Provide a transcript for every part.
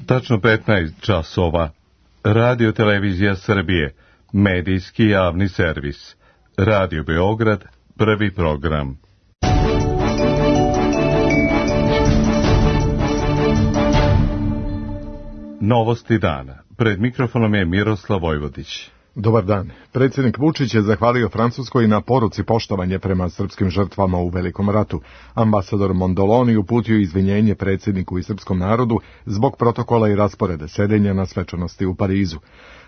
Tačno 15 časova. Radio Televizija Srbije, medijski javni servis. Radio Beograd, prvi program. Novosti dana. Pred mikrofonom je Miroslav Vojvodić. Dobar dan. Predsjednik Vučić je zahvalio Francuskoj na poruci poštovanje prema srpskim žrtvama u Velikom ratu. Ambasador Mondoloni uputio izvinjenje predsjedniku i srpskom narodu zbog protokola i rasporeda sedenja na svečanosti u Parizu.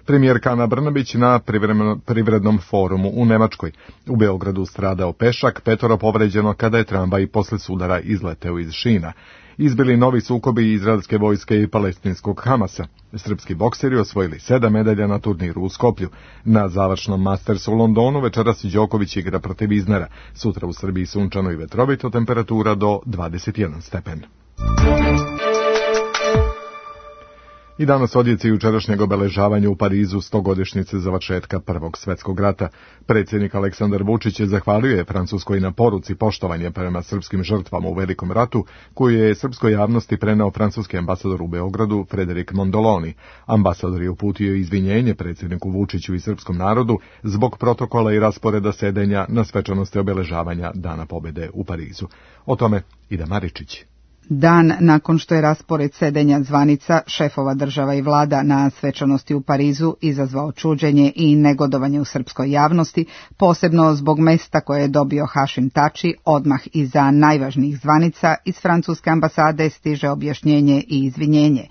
Premijerka Ana Brnabić na privrednom forumu u Nemačkoj. U Beogradu stradao pešak, 5 povređeno kada je tramvaj posle sudara izleteo iz šina. Izbili novi sukobi izraelske vojske i palestinskog Hamasa. Srpski bokseri osvojili 7 medalja na turniru u Skoplju. Na završnom Mastersu u Londonu večeras Đoković igra protiv Iznera. Sutra u Srbiji sunčano i vetrovito, temperatura do 21 stepen. I danas odjeci jučerašnjeg obeležavanja u Parizu 100-godišnjice završetka Prvog svjetskog rata. Predsjednik Aleksandar Vučić je zahvalio Francuskoj na poruci poštovanje prema srpskim žrtvama u Velikom ratu, koju je srpskoj javnosti preneo francuski ambasador u Beogradu Frédéric Mondoloni. Ambasador je uputio izvinjenje predsjedniku Vučiću i srpskom narodu zbog protokola i rasporeda sedenja na svečanosti obeležavanja Dana pobjede u Parizu. O tome Ida Maričić. Dan nakon što je raspored sedenja zvanica šefova država i vlada na svečanosti u Parizu izazvao čuđenje i negodovanje u srpskoj javnosti, posebno zbog mesta koje je dobio Hašim Tači, odmah iza najvažnijih zvanica iz francuske ambasade stiže objašnjenje i izvinjenje.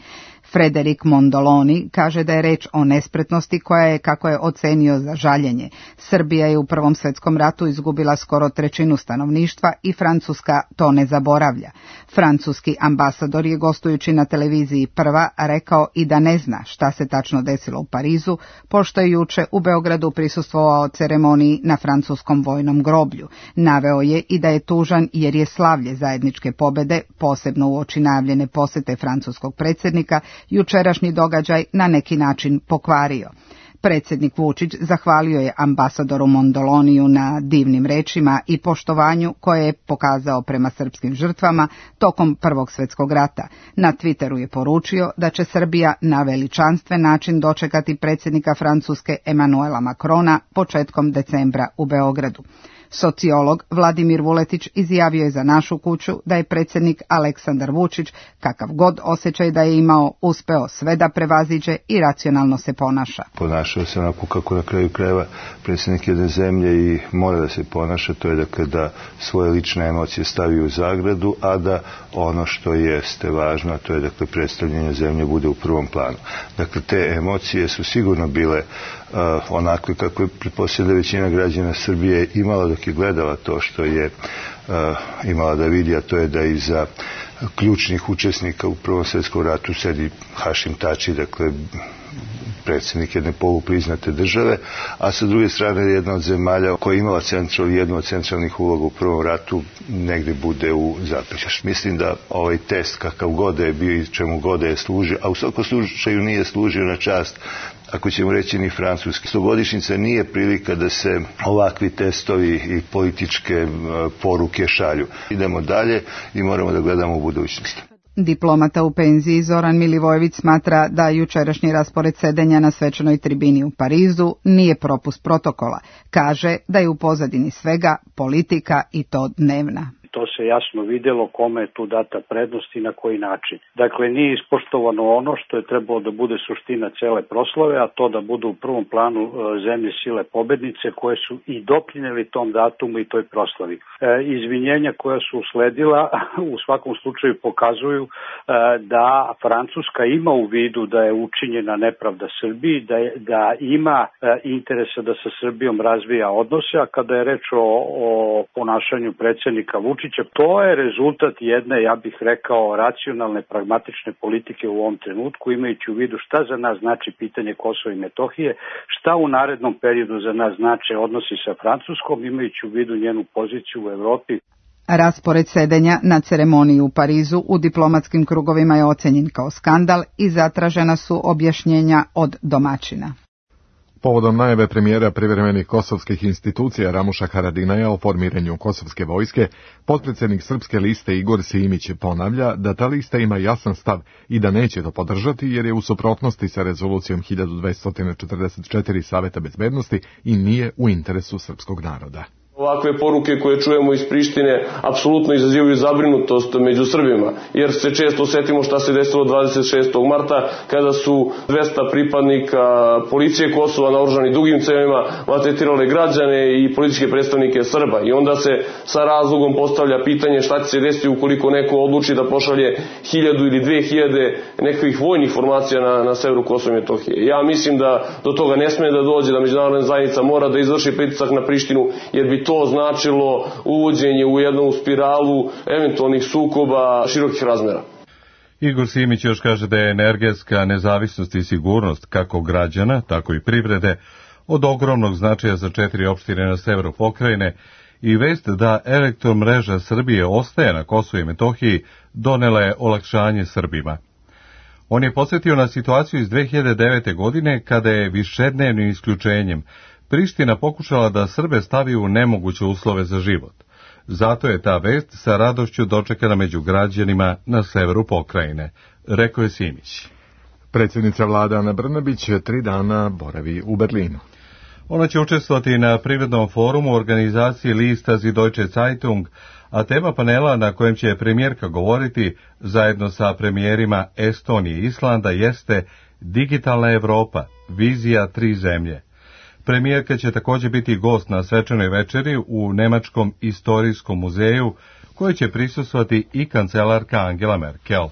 Frédéric Mondoloni kaže da je reč o nespretnosti koja je, kako je ocenio, za žaljenje. Srbija je u Prvom svjetskom ratu izgubila skoro 1/3 stanovništva i Francuska to ne zaboravlja. Francuski ambasador je gostujući na televiziji Prva rekao i da ne zna šta se tačno desilo u Parizu, pošto je juče u Beogradu prisustvovao ceremoniji na francuskom vojnom groblju. Naveo je i da je tužan jer je slavlje zajedničke pobjede, posebno uoči najavljene posete francuskog predsjednika, jučerašnji događaj na neki način pokvario. Predsjednik Vučić zahvalio je ambasadoru Mondoloniju na divnim rečima i poštovanju koje je pokazao prema srpskim žrtvama tokom Prvog svjetskog rata. Na Twitteru je poručio da će Srbija na veličanstven način dočekati predsjednika Francuske Emanuela Macrona početkom decembra u Beogradu. Sociolog Vladimir Vuletić izjavio je za Našu kuću da je predsjednik Aleksandar Vučić, kakav god osjećaj da je imao, uspeo sve da prevaziđe i racionalno se ponaša. Ponašao se onako kako na kraju krajeva predsjednik jedne zemlje i mora da se ponaša, to je dakle da svoje lične emocije stavi u zagradu, a da ono što jeste važno, to je dakle predstavljanje zemlje bude u prvom planu. Dakle, te emocije su sigurno bile onakve kako je pretpostavljena većina građana Srbije imala dok je gledala to što je imala da vidi, a to je da iza ključnih učesnika u Prvom svjetskom ratu sedi Hašim Tači, dakle predsjednik jedne polupriznate države, a sa druge strane jedna od zemalja koja je imala jednu od centralnih uloga u Prvom ratu negdje bude u zapećaš. Mislim da ovaj test kakav god je bio i čemu god je služio, a u svakom slučaju nije služio na čast, ako ćemo reći, ni francuski. 100-godišnjica nije prilika da se ovakvi testovi i političke poruke šalju. Idemo dalje i moramo da gledamo u budućnost. Diplomata u penziji Zoran Milivojević smatra da jučerašnji raspored sedenja na svečanoj tribini u Parizu nije propust protokola. Kaže da je u pozadini svega politika i to dnevna. To se jasno vidjelo kome je tu data prednost i na koji način. Dakle, nije ispoštovano ono što je trebalo da bude suština cele proslave, a to da budu u prvom planu zemlje sile pobednice koje su i doprinijeli tom datumu i toj proslavi. Izvinjenja koja su usledila u svakom slučaju pokazuju da Francuska ima u vidu da je učinjena nepravda Srbiji, da ima interesa da sa Srbijom razvija odnose, a kada je reč o ponašanju predsjednika Vučića, to je rezultat jedne, ja bih rekao, racionalne, pragmatične politike u ovom trenutku, imajući u vidu šta za nas znači pitanje Kosova i Metohije, šta u narednom periodu za nas znače odnosi sa Francuskom, imajući u vidu njenu poziciju u Evropi. Raspored sedenja na ceremoniji u Parizu u diplomatskim krugovima je ocenjen kao skandal i zatražena su objašnjenja od domaćina. Povodom najave premijera privremenih kosovskih institucija Ramuša Haradinaja o formiranju kosovske vojske, potpredsjednik Srpske liste Igor Simić ponavlja da ta lista ima jasan stav i da neće to podržati jer je u suprotnosti sa rezolucijom 1244 Saveta bezbednosti i nije u interesu srpskog naroda. Ovakve poruke koje čujemo iz Prištine apsolutno izazivaju zabrinutost među Srbima, jer se često setimo šta se desilo 26. marta kada su 200 pripadnika policije Kosova naoružani dugim cevima maltretirale građane i političke predstavnike Srba. I onda se sa razlogom postavlja pitanje šta će se desiti ukoliko neko odluči da pošalje 1000 ili 2000 nekakvih vojnih formacija na severu Kosova i Metohije. Ja mislim da do toga ne sme da dođe, da međunarodna zajednica mora da izvrši pritisak na Prištinu, jer bi to značilo uvođenje u jednu spiralu eventualnih sukoba širokih razmera. Igor Simić još kaže da je energetska nezavisnost i sigurnost kako građana, tako i privrede od ogromnog značaja za 4 opštine na severu pokrajine i vest da elektromreža Srbije ostaje na Kosovu i Metohiji donela je olakšanje Srbima. On je podsjetio na situaciju iz 2009. godine kada je višednevnim isključenjem Priština pokušala da Srbe stavi u nemoguće uslove za život. Zato je ta vest sa radošću dočekana među građanima na severu pokrajine, rekao je Simić. Predsjednica vlade Ana Brnabić 3 dana boravi u Berlinu. Ona će učestvovati na privrednom forumu organizacije lista Die Deutsche Zeitung, a tema panela na kojem će premijerka govoriti zajedno sa premijerima Estonije i Islanda jeste Digitalna Evropa, vizija 3 zemlje. Premijerka će također biti gost na svečanoj večeri u Nemačkom istorijskom muzeju, koje će prisustvovati i kancelarka Angela Merkel.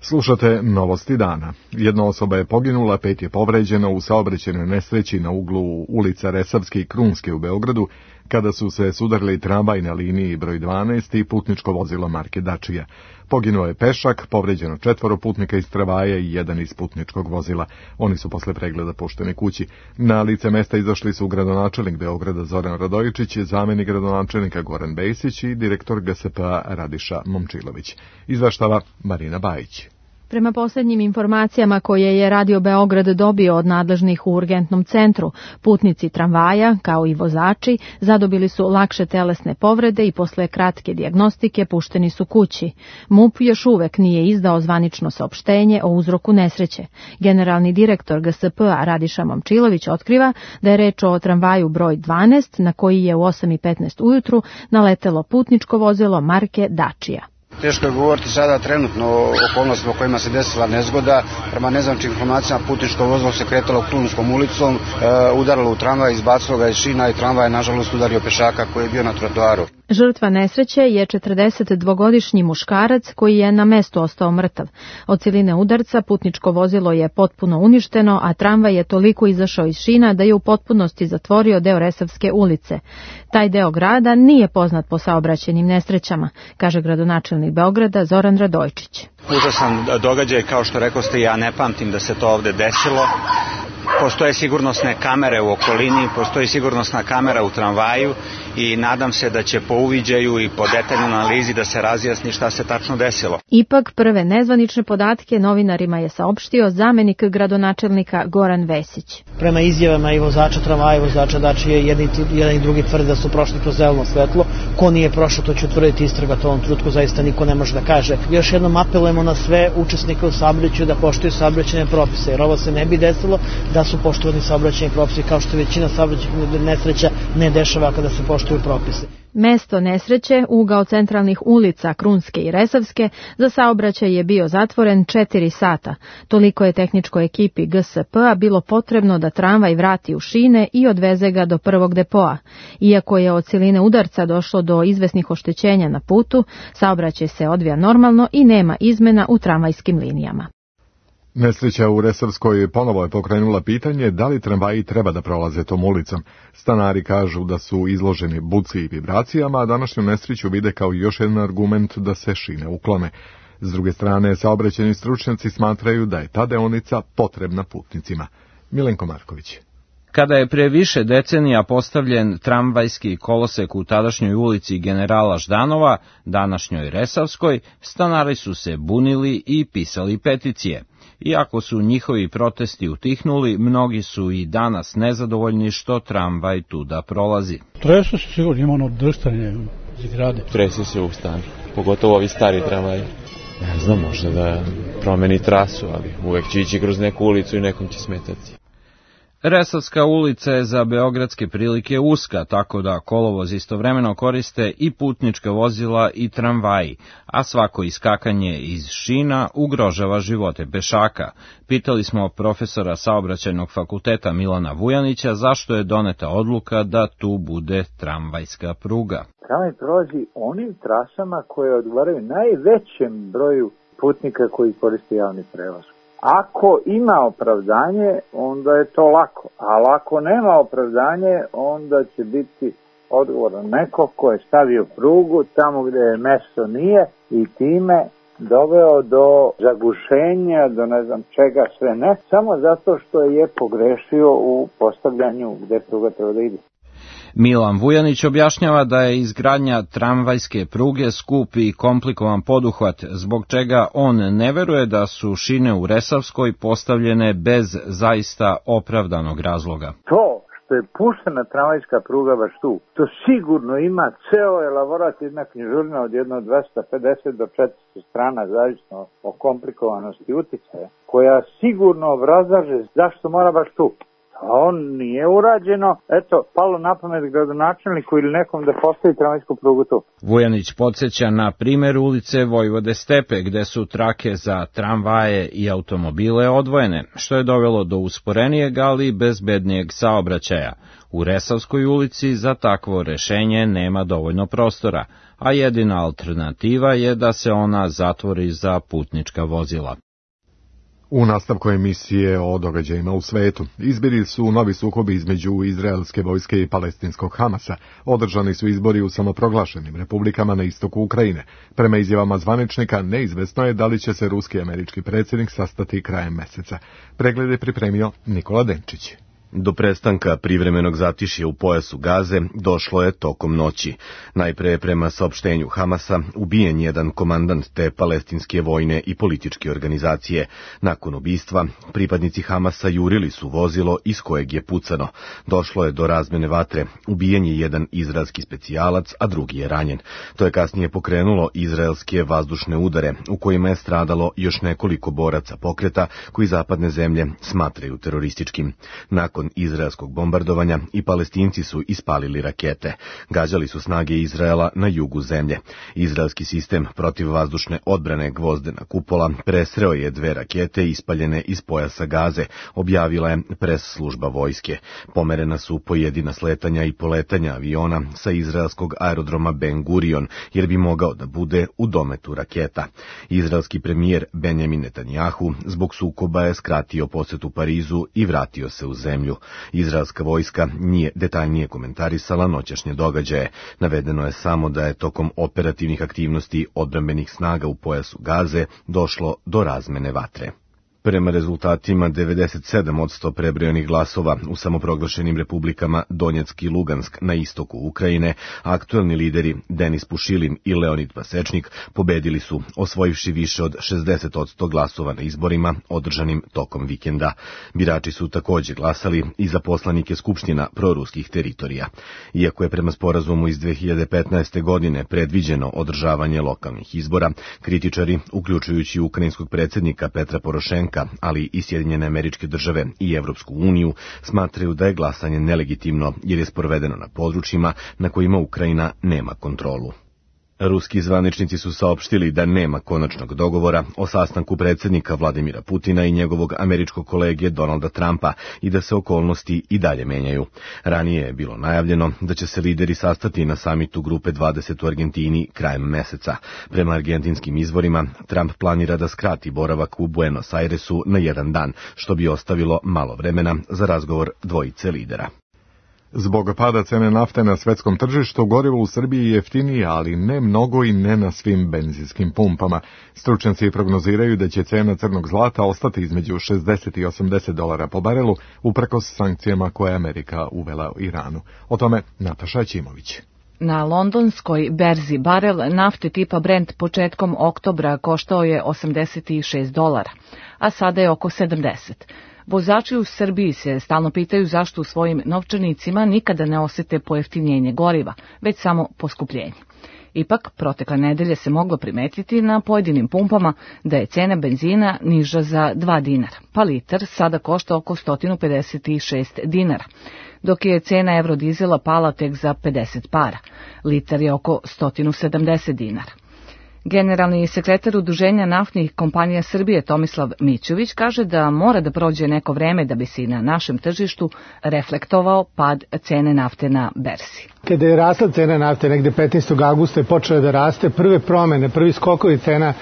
Slušate novosti dana. Jedna osoba je poginula, 5 je povređeno u saobraćajnoj nesreći na uglu ulica Resavske i Krunske u Beogradu, kada su se sudarili tramvaj na liniji broj 12 i putničko vozilo marke Dačija. Poginuo je pešak, povređeno 4 putnika iz tramvaja i 1 iz putničkog vozila. Oni su posle pregleda pušteni kući. Na lice mesta izašli su gradonačelnik Beograda Zoran Radojičić, zamenik gradonačelnika Goran Bejsić i direktor GSP-a Radiša Momčilović. Izveštava Marina Bajić. Prema posljednjim informacijama koje je Radio Beograd dobio od nadležnih u urgentnom centru, putnici tramvaja, kao i vozači, zadobili su lakše telesne povrede i posle kratke dijagnostike pušteni su kući. MUP još uvek nije izdao zvanično saopštenje o uzroku nesreće. Generalni direktor GSP-a Radiša Momčilović otkriva da je reč o tramvaju broj 12, na koji je u 8:15 ujutru naletelo putničko vozilo marke Dačija. Teško je govoriti sada trenutno o okolnostima u kojima se desila nezgoda. Prema nezvaničnim informacijama putničko vozilo se kretalo Krunskom ulicom, udarilo u tramvaj, izbacilo ga iz šina i tramvaj je nažalost udario pešaka koji je bio na trotoaru. Žrtva nesreće je 42-godišnji muškarac koji je na mestu ostao mrtav. Od siline udarca putničko vozilo je potpuno uništeno, a tramvaj je toliko izašao iz šina da je u potpunosti zatvorio deo Resavske ulice. Taj deo grada nije poznat po saobraćajnim nesrećama, kaže gradonačelnik Beograda Zoran Radojčić. Užasan događaj, kao što rekoste, ja ne pamtim da se to ovde desilo. Postoje sigurnosne kamere u okolini, postoji sigurnosna kamera u tramvaju i nadam se da će po uviđaju i po detaljnoj analizi da se razjasni šta se tačno desilo. Ipak prve nezvanične podatke novinarima je saopštio zamenik gradonačelnika Goran Vesić. Prema izjavama i vozača tramvaja i vozača Dačije, jedan i drugi tvrde da su prošli kroz zeleno svetlo. Ko nije prošao, to će utvrditi istraga, to u ovom trenutku zaista niko ne može da kaže. Još jednom apelujemo na sve učesnike u saobraćaju da poštuju saobraćajne propise, jer ovo se ne bi desilo da su poštovani saobraćajni propisi, kao što većina saobraćajnih nesreća ne dešava kada se poštuju propisi. Mesto nesreće, ugao centralnih ulica Krunske i Resavske, za saobraćaj je bio zatvoren 4 sata. Toliko je tehničkoj ekipi GSP-a bilo potrebno da tramvaj vrati u šine i odveze ga do prvog depoa. Iako je od siline udarca došlo do izvesnih oštećenja na putu, saobraćaj se odvija normalno i nema izmena u tramvajskim linijama. Nesreća u Resavskoj ponovo je pokrenula pitanje da li tramvaji treba da prolaze tom ulicom. Stanari kažu da su izloženi buci i vibracijama, a današnju nesreću vide kao još jedan argument da se šine uklone. S druge strane, saobraćajni stručnjaci smatraju da je ta deonica potrebna putnicima. Milenko Marković. Kada je pre više decenija postavljen tramvajski kolosek u tadašnjoj ulici Generala Ždanova, današnjoj Resavskoj, stanari su se bunili i pisali peticije. Iako su njihovi protesti utihnuli, mnogi su i danas nezadovoljni što tramvaj tuda prolazi. Tresu se sigurno, ima ono drštanje zgrade. Tresu se u stanu, pogotovo ovi stari tramvaji. Ne znam, možda da promeni trasu, ali uvek će ići kroz neku ulicu i nekom će smetati. Resavska ulica je za beogradske prilike uska, tako da kolovoz istovremeno koriste i putnička vozila i tramvaji, a svako iskakanje iz šina ugrožava živote pešaka. Pitali smo profesora Saobraćajnog fakulteta Milana Vujanića zašto je doneta odluka da tu bude tramvajska pruga. Tramvaj prolazi onim trasama koje odgovaraju najvećem broju putnika koji koriste javni prevoz. Ako ima opravdanje, onda je to lako, ali ako nema opravdanje, onda će biti odgovoran neko ko je stavio prugu tamo gde je mesto nije i time doveo do zagušenja, do ne znam čega sve ne, samo zato što je pogrešio u postavljanju gde pruga treba da ide. Milan Vujanić objašnjava da je izgradnja tramvajske pruge skup i komplikovan poduhvat, zbog čega on ne veruje da su šine u Resavskoj postavljene bez zaista opravdanog razloga. To što je puštena tramvajska pruga baš tu, to sigurno ima ceo elaborat, jedna knjižurna od jedno 250 do 400 strana, zavisno o komplikovanosti uticaja, koja sigurno obrazlaže zašto mora baš tu. On nije urađeno, eto, palo na pamet gradonačelniku ili nekom da postavi tramvajsku prugu tu. Vujanić podsjeća na primer ulice Vojvode Stepe, gde su trake za tramvaje i automobile odvojene, što je dovelo do usporenijeg, ali bezbednijeg saobraćaja. U Resavskoj ulici za takvo rešenje nema dovoljno prostora, a jedina alternativa je da se ona zatvori za putnička vozila. U nastavku emisije o događajima u svetu izbili su novi sukobi između izraelske vojske i palestinskog Hamasa. Održani su izbori u samoproglašenim republikama na istoku Ukrajine. Prema izjavama zvaničnika, neizvesno je da li će se ruski i američki predsjednik sastati krajem meseca. Pregled je pripremio Nikola Denčić. Do prestanka privremenog zatišja u pojasu Gaze došlo je tokom noći. Najpre prema saopštenju Hamasa ubijen jedan komandant te palestinske vojne i političke organizacije. Nakon ubistva, pripadnici Hamasa jurili su vozilo iz kojeg je pucano. Došlo je do razmene vatre. Ubijen je jedan izraelski specijalac, a drugi je ranjen. To je kasnije pokrenulo izraelske vazdušne udare, u kojima je stradalo još nekoliko boraca pokreta koji zapadne zemlje smatraju terorističkim. Nakon izraelskog bombardovanja i Palestinci su ispalili rakete. Gađali su snage Izraela na jugu zemlje. Izraelski sistem protivvazdušne odbrane Gvozdena kupola presreo je 2 rakete ispaljene iz pojasa Gaze, objavila je pres služba vojske. Pomerena su pojedina sletanja i poletanja aviona sa izraelskog aerodroma Ben Gurion, jer bi mogao da bude u dometu raketa. Izraelski premijer Benjamin Netanjahu zbog sukoba je skratio posetu Parizu i vratio se u zemlju. Izraelska vojska nije detaljnije komentarisala noćašnje događaje. Navedeno je samo da je tokom operativnih aktivnosti odbrambenih snaga u pojasu Gaze došlo do razmene vatre. Prema rezultatima 97% prebrojanih glasova u samoproglašenim republikama Donjeck i Lugansk na istoku Ukrajine, aktuelni lideri Denis Pušilin i Leonid Pasečnik pobedili su, osvojivši više od 60% glasova na izborima održanim tokom vikenda. Birači su također glasali i za poslanike skupština proruskih teritorija. Iako je prema sporazumu iz 2015. godine predviđeno održavanje lokalnih izbora, kritičari, uključujući ukrajinskog predsjednika Petra Porošenka, ali i Sjedinjene Američke Države i Evropsku uniju, smatraju da je glasanje nelegitimno jer je sprovedeno na područjima na kojima Ukrajina nema kontrolu. Ruski zvaničnici su saopštili da nema konačnog dogovora o sastanku predsjednika Vladimira Putina i njegovog američkog kolege Donalda Trumpa i da se okolnosti i dalje menjaju. Ranije je bilo najavljeno da će se lideri sastati na samitu Grupe 20 u Argentini krajem meseca. Prema argentinskim izvorima, Trump planira da skrati boravak u Buenos Airesu na 1 dan, što bi ostavilo malo vremena za razgovor dvojice lidera. Zbog pada cene nafte na svetskom tržištu, gorivo u Srbiji je jeftinije, ali ne mnogo i ne na svim benzinskim pumpama. Stručnjaci prognoziraju da će cena crnog zlata ostati između $60 i $80 po barelu, uprkos sankcijama koje je Amerika uvela u Iranu. O tome Nataša Ćimović. Na londonskoj berzi barel nafte tipa Brent početkom oktobra koštao je $86, a sada je oko 70. Vozači u Srbiji se stalno pitaju zašto u svojim novčanicima nikada ne osete pojeftinjenje goriva, već samo poskupljenje. Ipak, protekle nedelje se moglo primetiti na pojedinim pumpama da je cena benzina niža za 2 dinara, pa litar sada košta oko 156 dinara, dok je cena eurodizela pala tek za 50 para. Litar je oko 170 dinara. Generalni sekretar Udruženja naftnih kompanija Srbije Tomislav Mićović kaže da mora da prođe neko vreme da bi se i na našem tržištu reflektovao pad cene nafte na berzi. Kada je rasla cena nafte negde 15. augusta je počela da raste, prve promene, prvi skokovi cena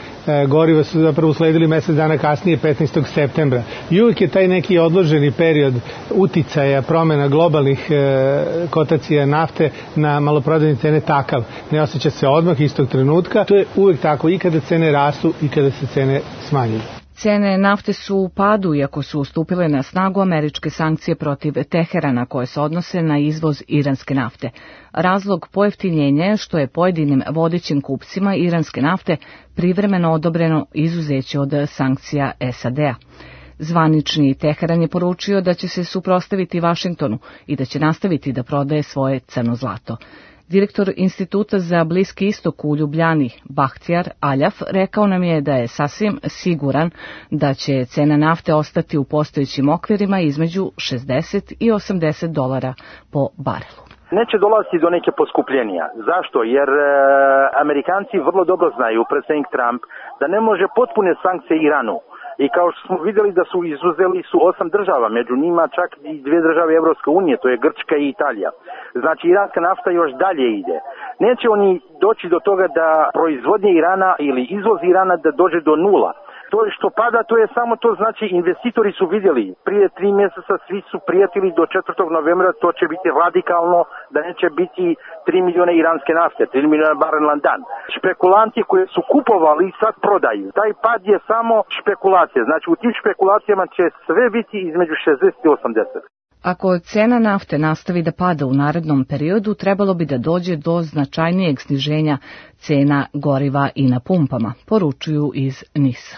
goriva su zapravo usledili mesec dana kasnije 15. septembra. I uvijek je taj neki odloženi period uticaja promena globalnih kotacija nafte na maloprodajne cene takav. Ne osjeća se odmah istog trenutka. To je uvijek tako i kada cene rastu i kada se cene smanjuju. Cene nafte su u padu, iako su stupile na snagu američke sankcije protiv Teherana koje se odnose na izvoz iranske nafte. Razlog pojeftinjenja je što je pojedinim vodećim kupcima iranske nafte privremeno odobreno izuzeće od sankcija SAD-a. Zvanični Teheran je poručio da će se suprotstaviti Vašingtonu i da će nastaviti da prodaje svoje crno zlato. Direktor Instituta za Bliski istok u Ljubljani, Bahtjar Aljaf, rekao nam je da je sasvim siguran da će cena nafte ostati u postojećim okvirima između $60 i $80 po barelu. Neće dolaziti do neke poskupljenja. Zašto? Jer Amerikanci vrlo dobro znaju, predsjednik Trump, da ne može potpune sankcije Iranu. I kao što smo vidjeli da su izuzeli su 8 država, među njima čak i 2 države Evropske unije, to je Grčka i Italija. Znači iranska nafta još dalje ide. Neće oni doći do toga da proizvodnje Irana ili izvoz Irana da dođe do nula. To što pada, to je samo to, znači investitori su vidjeli. Prije 3 mjeseca svi su prijatili do 4. novembra, to će biti radikalno, da neće biti 3 milijuna iranske nafte, 3 milijuna barela na dan. Špekulanti koji su kupovali sad prodaju. Taj pad je samo špekulacija. Znači u tim špekulacijama će sve biti između 60 i 80. Ako cena nafte nastavi da pada u narednom periodu, trebalo bi da dođe do značajnijeg sniženja cena goriva i na pumpama, poručuju iz NIS-a.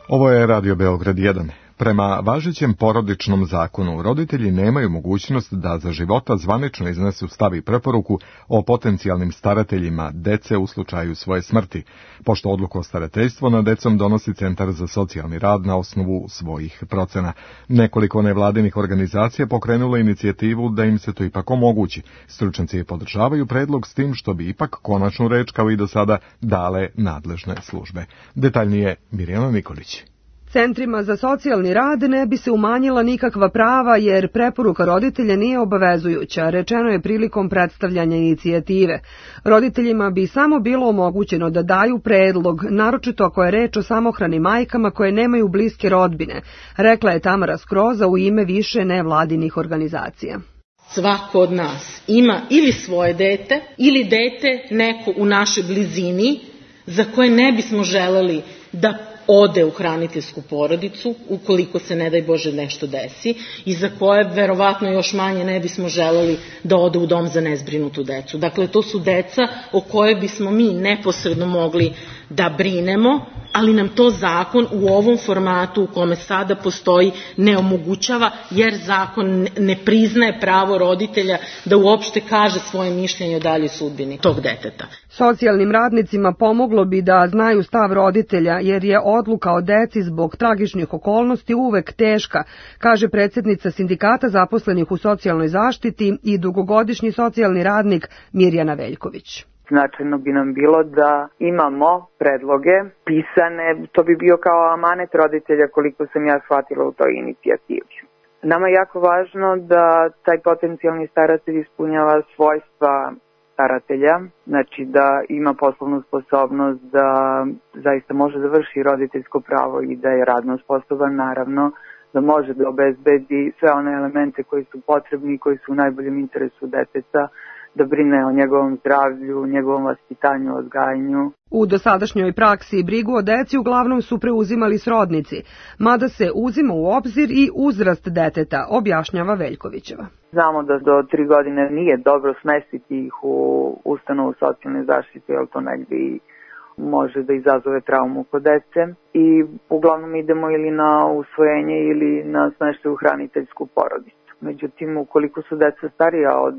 Ovo je Radio Beograd 1. Prema važećem porodičnom zakonu, roditelji nemaju mogućnost da za života zvanično iznesu stav i preporuku o potencijalnim starateljima dece u slučaju svoje smrti, pošto odluku o starateljstvu nad decom donosi Centar za socijalni rad na osnovu svojih procena. Nekoliko nevladinih organizacija pokrenulo inicijativu da im se to ipak omogući. Stručnjaci podržavaju predlog s tim što bi ipak konačnu reč kao i do sada dale nadležne službe. Detaljnije Mirjana Nikolić. Centrima za socijalni rad ne bi se umanjila nikakva prava jer preporuka roditelja nije obavezujuća, rečeno je prilikom predstavljanja inicijative. Roditeljima bi samo bilo omogućeno da daju predlog, naročito ako je reč o samohranim majkama koje nemaju bliske rodbine, rekla je Tamara Skroza u ime više nevladinih organizacija. Svako od nas ima ili svoje dete ili dete neko u našoj blizini za koje ne bismo želeli da ode u hraniteljsku porodicu, ukoliko se ne daj Bože nešto desi, i za koje verovatno još manje ne bismo želeli da ode u dom za nezbrinutu decu. Dakle, to su deca o koje bismo mi neposredno mogli da brinemo, ali nam to zakon u ovom formatu u kome sada postoji ne omogućava, jer zakon ne priznaje pravo roditelja da uopšte kaže svoje mišljenje o daljoj sudbini tog deteta. Socijalnim radnicima pomoglo bi da znaju stav roditelja, jer je odluka o deci zbog tragičnih okolnosti uvek teška, kaže predsjednica Sindikata zaposlenih u socijalnoj zaštiti i dugogodišnji socijalni radnik Mirjana Veljković. Značajno bi nam bilo da imamo predloge pisane, to bi bio kao amanet roditelja koliko sam ja shvatila u toj inicijativi. Nama je jako važno da taj potencijalni staratelj ispunjava svojstva staratelja, znači da ima poslovnu sposobnost, da zaista može da vrši roditeljsko pravo i da je radno sposoban, naravno, da može da obezbedi sve one elemente koji su potrebni i koji su u najboljem interesu deteta, da brine o njegovom zdravlju, njegovom vaspitanju, odgajanju. U dosadašnjoj praksi brigu o deci uglavnom su preuzimali srodnici, mada se uzima u obzir i uzrast deteta, objašnjava Veljkovićeva. Znamo da do 3 godine nije dobro smestiti ih u ustanovu socijalne zaštite, jer to negdje i može da izazove traumu kod dece i uglavnom idemo ili na usvojenje ili na smeštaj u hraniteljsku porodicu. Međutim, ukoliko su deca starija od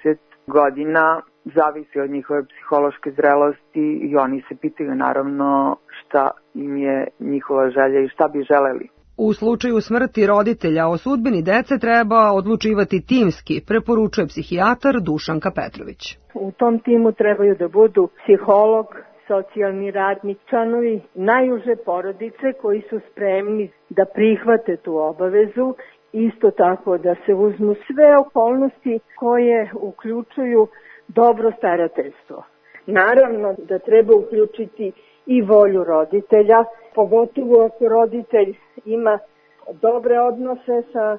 10 godina, zavisi od njihove psihološke zrelosti i oni se pitaju naravno šta im je njihova želja i šta bi želeli. U slučaju smrti roditelja o sudbini dece treba odlučivati timski, preporučuje psihijatar Dušanka Petrović. U tom timu trebaju da budu psiholog, socijalni radnik, članovi najuže porodice koji su spremni da prihvate tu obavezu, isto tako da se uzmu sve okolnosti koje uključuju dobro starateljstvo. Naravno da treba uključiti i volju roditelja, pogotovo ako roditelj ima dobre odnose sa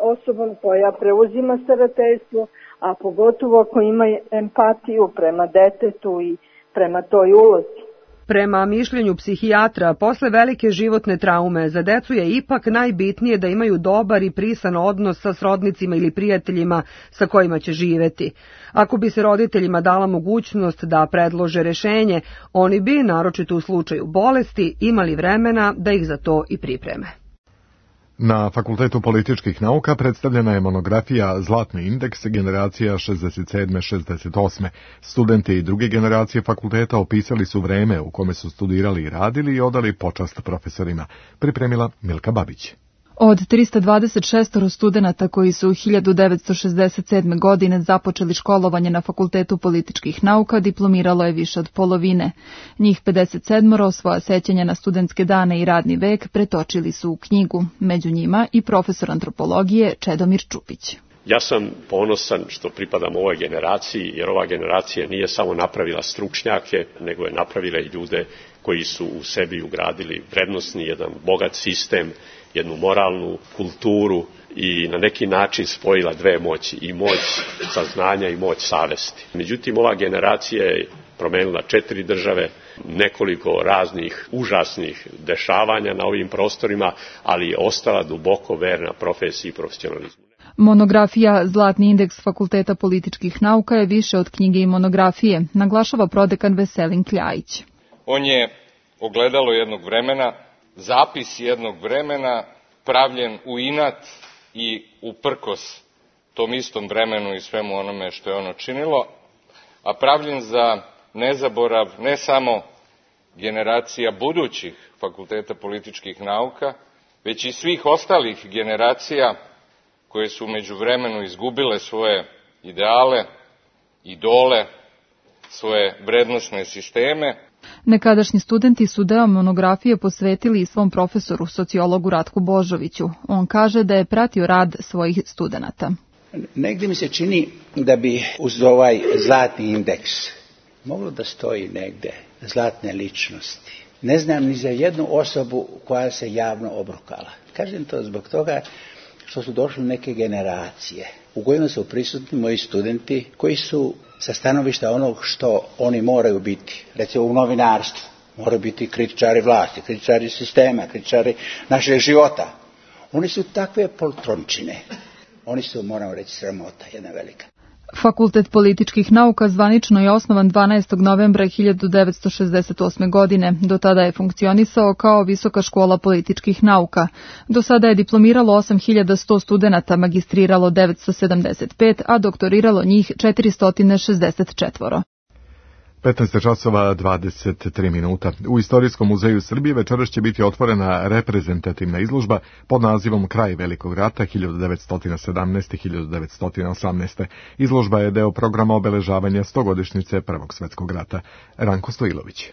osobom koja preuzima starateljstvo, a pogotovo ako ima empatiju prema detetu i prema toj ulozi. Prema mišljenju psihijatra, posle velike životne traume za decu je ipak najbitnije da imaju dobar i prisan odnos sa srodnicima ili prijateljima sa kojima će živeti. Ako bi se roditeljima dala mogućnost da predlože rešenje, oni bi, naročito u slučaju bolesti, imali vremena da ih za to i pripreme. Na Fakultetu političkih nauka predstavljena je monografija Zlatni indeks generacija 67-68. Studenti i druge generacije fakulteta opisali su vreme u kome su studirali i radili i odali počast profesorima. Pripremila Milka Babić. Od 326 studenata koji su 1967. godine započeli školovanje na Fakultetu političkih nauka diplomiralo je više od polovine. Njih 57 svoja sećanja na studentske dane i radni vek pretočili su u knjigu, među njima i profesor antropologije Čedomir Čupić. Ja sam ponosan što pripadam ovoj generaciji, jer ova generacija nije samo napravila stručnjake, nego je napravila i ljude koji su u sebi ugradili vrednosni, jedan bogat sistem, jednu moralnu kulturu i na neki način spojila dve moći, i moć saznanja i moć savesti. Međutim, ova generacija je promenila 4 države, nekoliko raznih užasnih dešavanja na ovim prostorima, ali je ostala duboko verna profesiji i profesionalizmu. Monografija Zlatni indeks Fakulteta političkih nauka je više od knjige i monografije, naglašava prodekan Veselin Kljajić. On je ogledalo jednog vremena, zapis jednog vremena, pravljen u inat i uprkos tom istom vremenu i svemu onome što je ono činilo, a pravljen za nezaborav ne samo generacija budućih Fakulteta političkih nauka, već i svih ostalih generacija koje su među vremenu izgubile svoje ideale, idole, svoje vrednosne sisteme. Nekadašnji studenti su deo monografije posvetili i svom profesoru, sociologu Ratku Božoviću. On kaže da je pratio rad svojih studenata. Negdje mi se čini da bi uz ovaj zlatni indeks moglo da stoji negdje zlatne ličnosti. Ne znam ni za jednu osobu koja se javno obrukala. Kažem to zbog toga što su došle neke generacije u kojima su prisutni moji studenti koji su sa stanovišta onog što oni moraju biti, recimo u novinarstvu, moraju biti kritičari vlasti, kritičari sistema, kritičari našeg života. Oni su takve poltrončine. Oni su, moram reći, sramota, jedna velika. Fakultet političkih nauka zvanično je osnovan 12. novembra 1968. godine. Do tada je funkcionisao kao Visoka škola političkih nauka. Do sada je diplomiralo 8100 studenata, magistriralo 975, a doktoriralo njih 464. 15 časova 23 minuta. U Istorijskom muzeju Srbije večeras će biti otvorena reprezentativna izložba pod nazivom Kraj Velikog rata 1917-1918. Izložba je deo programa obeležavanja 100-godišnjice Prvog svjetskog rata. Ranko Stojilović.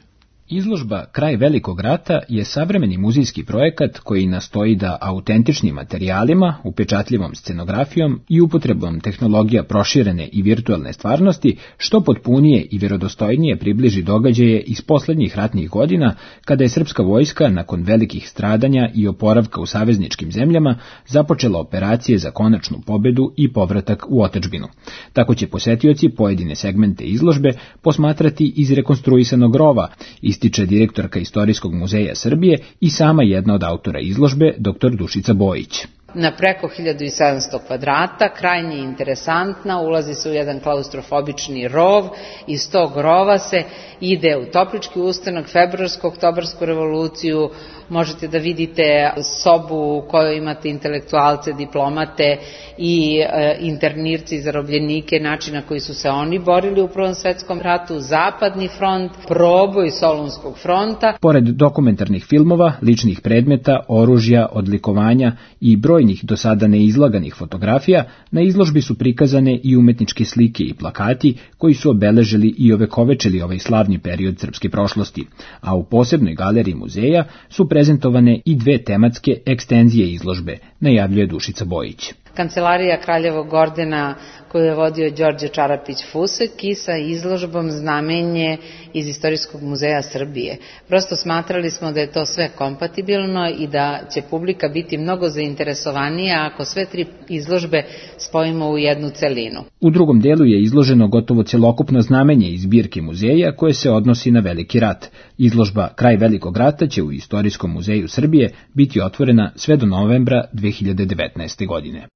Izložba Kraj velikog rata je savremeni muzejski projekat koji nastoji da autentičnim materijalima, upečatljivom scenografijom i upotrebom tehnologija proširene i virtualne stvarnosti što potpunije i vjerodostojnije približi događaje iz poslednjih ratnih godina kada je srpska vojska nakon velikih stradanja i oporavka u savezničkim zemljama započela operacije za konačnu pobedu i povratak u otadžbinu. Tako će posetioci pojedine segmente izložbe posmatrati iz rekonstruisanog rova, ističe direktorka Istorijskog muzeja Srbije i sama jedna od autora izložbe, dr. Dušica Bojić. Na preko 1700 kvadrata, krajnje interesantna, ulazi se u jedan klaustrofobični rov, iz tog rova se ide u Toplički ustanak, februarsku, oktobarsku revoluciju, možete da vidite sobu u kojoj imate intelektualce, diplomate i internirci i zarobljenike, način na koji su se oni borili u Prvom svetskom ratu, Zapadni front, proboj Solunskog fronta. Pored dokumentarnih filmova, ličnih predmeta, oružja, odlikovanja i brojnih do sada neizlaganih fotografija, na izložbi su prikazane i umetničke slike i plakati koji su obeležili i ovekovečili ovaj slavni period srpske prošlosti, a u posebnoj galeriji muzeja su prezentovane i dve tematske ekstenzije izložbe, najavljuje Dušica Bojić. Kancelarija Kraljevog ordena koju je vodio Đorđe Čarapić-Fusek i sa izložbom Znamenje iz Istorijskog muzeja Srbije. Prosto smatrali smo da je to sve kompatibilno i da će publika biti mnogo zainteresovanija ako sve tri izložbe spojimo u jednu celinu. U drugom delu je izloženo gotovo celokupno znamenje iz zbirke muzeja koje se odnosi na Veliki rat. Izložba Kraj velikog rata će u Istorijskom muzeju Srbije biti otvorena sve do novembra 2019. godine.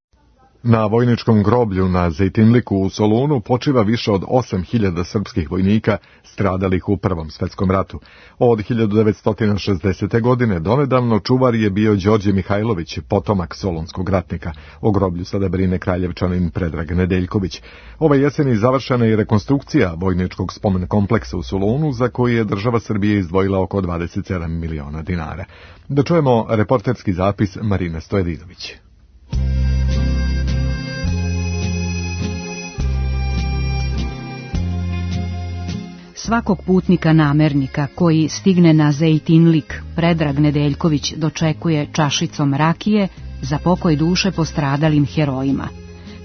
Na vojničkom groblju na Zejtinliku u Solunu počiva više od 8000 srpskih vojnika stradalih u Prvom svetskom ratu. Od 1960. godine donedavno čuvar je bio Đorđe Mihajlović, potomak solunskog ratnika. O groblju sada brine Kraljevčanin Predrag Nedeljković. Ove jeseni završena je rekonstrukcija vojničkog spomen kompleksa u Solunu, za koji je država Srbije izdvojila oko 27 miliona dinara. Da čujemo reporterski zapis Marine Stojadidović. Svakog putnika namernika koji stigne na Zejtinlik Predrag Nedeljković dočekuje čašicom rakije za pokoj duše postradalim herojima.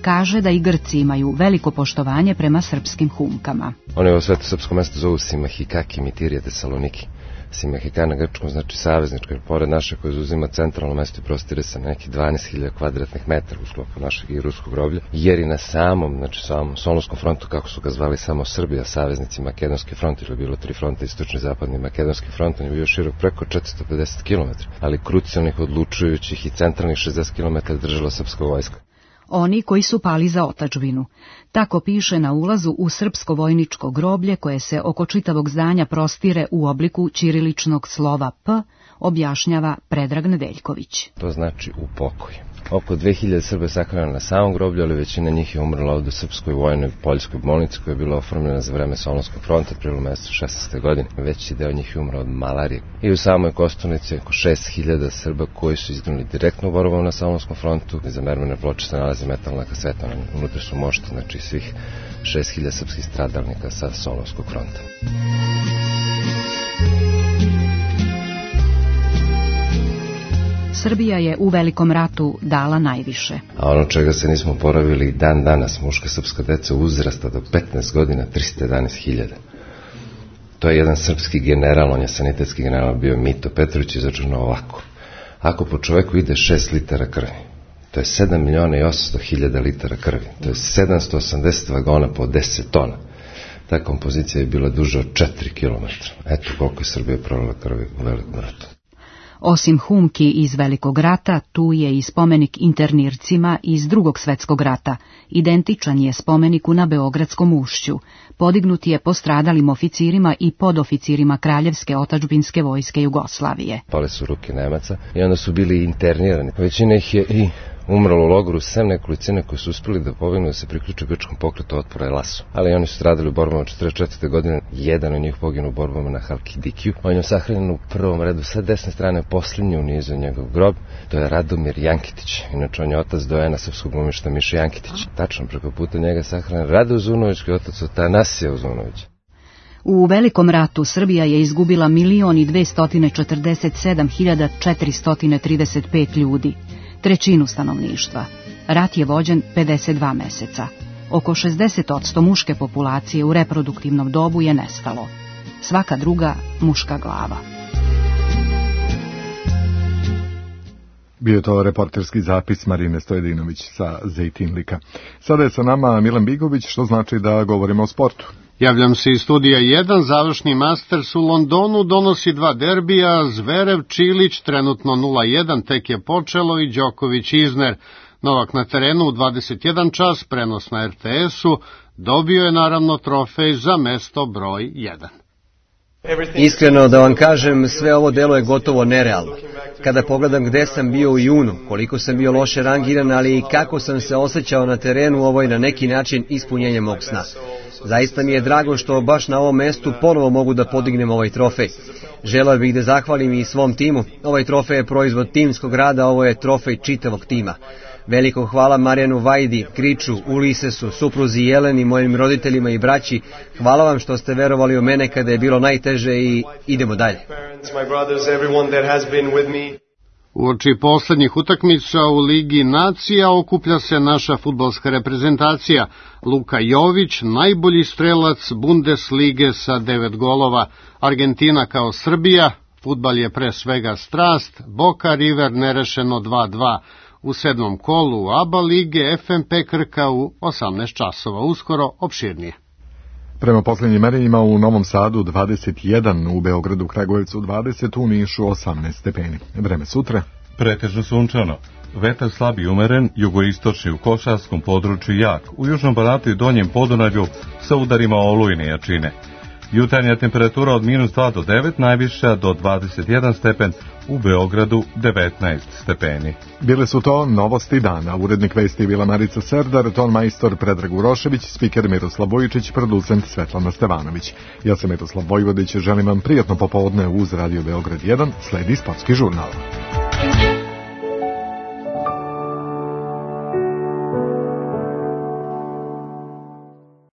Kaže da i Grci imaju veliko poštovanje prema srpskim humkama. Oni ovo sveto srpsko mesto zovu Simahikaki, Mitirije, Tesaloniki. Simahika na grčkom znači savezničko, jer pored naše koje zauzima centralno mesto i prostire se na neki 12.000 kvadratnih metara u sklopu našeg i ruskog groblja, jer i na samom Solunskom frontu, kako su ga zvali samo Srbija, saveznici Makedonski front, ili je bilo 3 fronta, istočni, zapadni, Makedonski front, on je bio širok preko 450 km, ali krucijalnih, odlučujućih i centralnih 60 km držala srpska vojska. Oni koji su pali za otadžbinu. Tako piše na ulazu u srpsko vojničko groblje koje se oko čitavog zdanja prostire u obliku ćiriličnog slova P, objašnjava Predrag Nedeljković. To znači u pokoj. Oko 2000 Srba je sakrano na samom groblju, ali većina njih je umrla ovdje u srpskoj vojnoj poljskoj bolnici koja je bila oformljena za vreme Solunskog fronta, aprilu mesecu 16. godine. Veći deo njih je umrao od malarije. I u samoj Kosturnici oko 6000 Srba koji su izginuli direktno u borbama na Solunskom frontu. Iza mermerne ploče se nalazi metalna kaseta, unutra su mošte, znači svih 6000 srpskih stradalnika sa Solunskog fronta. Srbija je u Velikom ratu dala najviše. A ono čega se nismo oporavili dan danas, muška srpska deca uzrasta do 15 godina, 311.000. To je jedan srpski general, on je sanitetski general bio Mito Petrović, izračunao ovako. Ako po čoveku ide 6 litara krvi, to je 7.800.000 litara krvi, to je 780 vagona po 10 tona. Ta kompozicija je bila duža od 4 km. Eto koliko je Srbija prolila krvi u Velikom ratu. Osim humki iz Velikog rata, tu je i spomenik internircima iz Drugog svetskog rata. Identičan je spomeniku na Beogradskom ušću. Podignut je postradalim oficirima i podoficirima Kraljevske otadžbinske vojske Jugoslavije. Pale su ruke Nemaca i onda su bili internirani. Većina ih je i umrlo u logoru, sem nekolicine koji su uspjeli da pobegnu da se priključe grčkom pokretu otpora Elasu. Ali oni su stradali u borbama 44. godine, jedan od njih poginuo u borbama na Halkidikiju. On je sahranjen u prvom redu sa desne strane, posljednji u nizu njegov grob, to je Radomir Jankitić. Inače on je otac dojena srpskog glumišta Miše Jankitić. Tačno preko puta njega sahranjen Rade Uzunović, koji je otac od Tanasija Uzunovića. U Velikom ratu Srbija je izgubila 1.247.435 ljudi, trećinu stanovništva. Rat je vođen 52 meseca. Oko 60% muške populacije u reproduktivnom dobu je nestalo. Svaka druga muška glava. Bio je to reporterski zapis Marine Stojedinović sa Zejtinlika. Sada je sa nama Milan Bigović, što znači da govorimo o sportu. Javljam se iz studija 1, završni Masters u Londonu donosi 2 derbija, Zverev, Čilić, trenutno 0-1, tek je počelo, i Đoković, Izner. Novak na terenu u 21 čas, prenos na RTS-u, dobio je naravno trofej za mesto broj 1. Iskreno da vam kažem, sve ovo delo je gotovo nerealno. Kada pogledam gde sam bio u junu, koliko sam bio loše rangiran, ali i kako sam se osjećao na terenu, ovo je na neki način ispunjenje mog sna. Zaista mi je drago što baš na ovom mestu ponovo mogu da podignem ovaj trofej. Želeo bih da zahvalim i svom timu. Ovaj trofej je proizvod timskog rada, ovo je trofej čitavog tima. Veliko hvala Marijanu Vajdi, Kriču, Ulisesu, supruzi Jeleni, mojim roditeljima i braći. Hvala vam što ste verovali u mene kada je bilo najteže i idemo dalje. Uoči poslednjih utakmica u Ligi nacija okuplja se naša fudbalska reprezentacija. Luka Jović, najbolji strelac Bundeslige sa 9 golova. Argentina kao Srbija, fudbal je pre svega strast, Boca River nerešeno 2-2. U 7. kolu ABA lige FNP Krka u 18 časova, uskoro opširnije. Prema posljednjim merenjima u Novom Sadu 21, u Beogradu, Kragujevcu 20, u Nišu 18 stepeni. Vreme sutra? Pretežno sunčano. Vetar slab i umeren, jugoistočni u Košarskom području jak, u Južnom Banatu i Donjem Podunavlju sa udarima olujne jačine. Jutarnja temperatura od -2 do 9, najviša do 21 stepen, u Beogradu 19 stepeni. Bile su to novosti dana. Urednik vesti je bila Marica Serdar, ton majstor Predrag Urošević, spiker Miroslav Vojičić, producent Svetlana Stevanović. Ja sam Miroslav Vojvodić, želim vam prijatno popodne uz Radio Beograd 1, sledi sportski žurnal.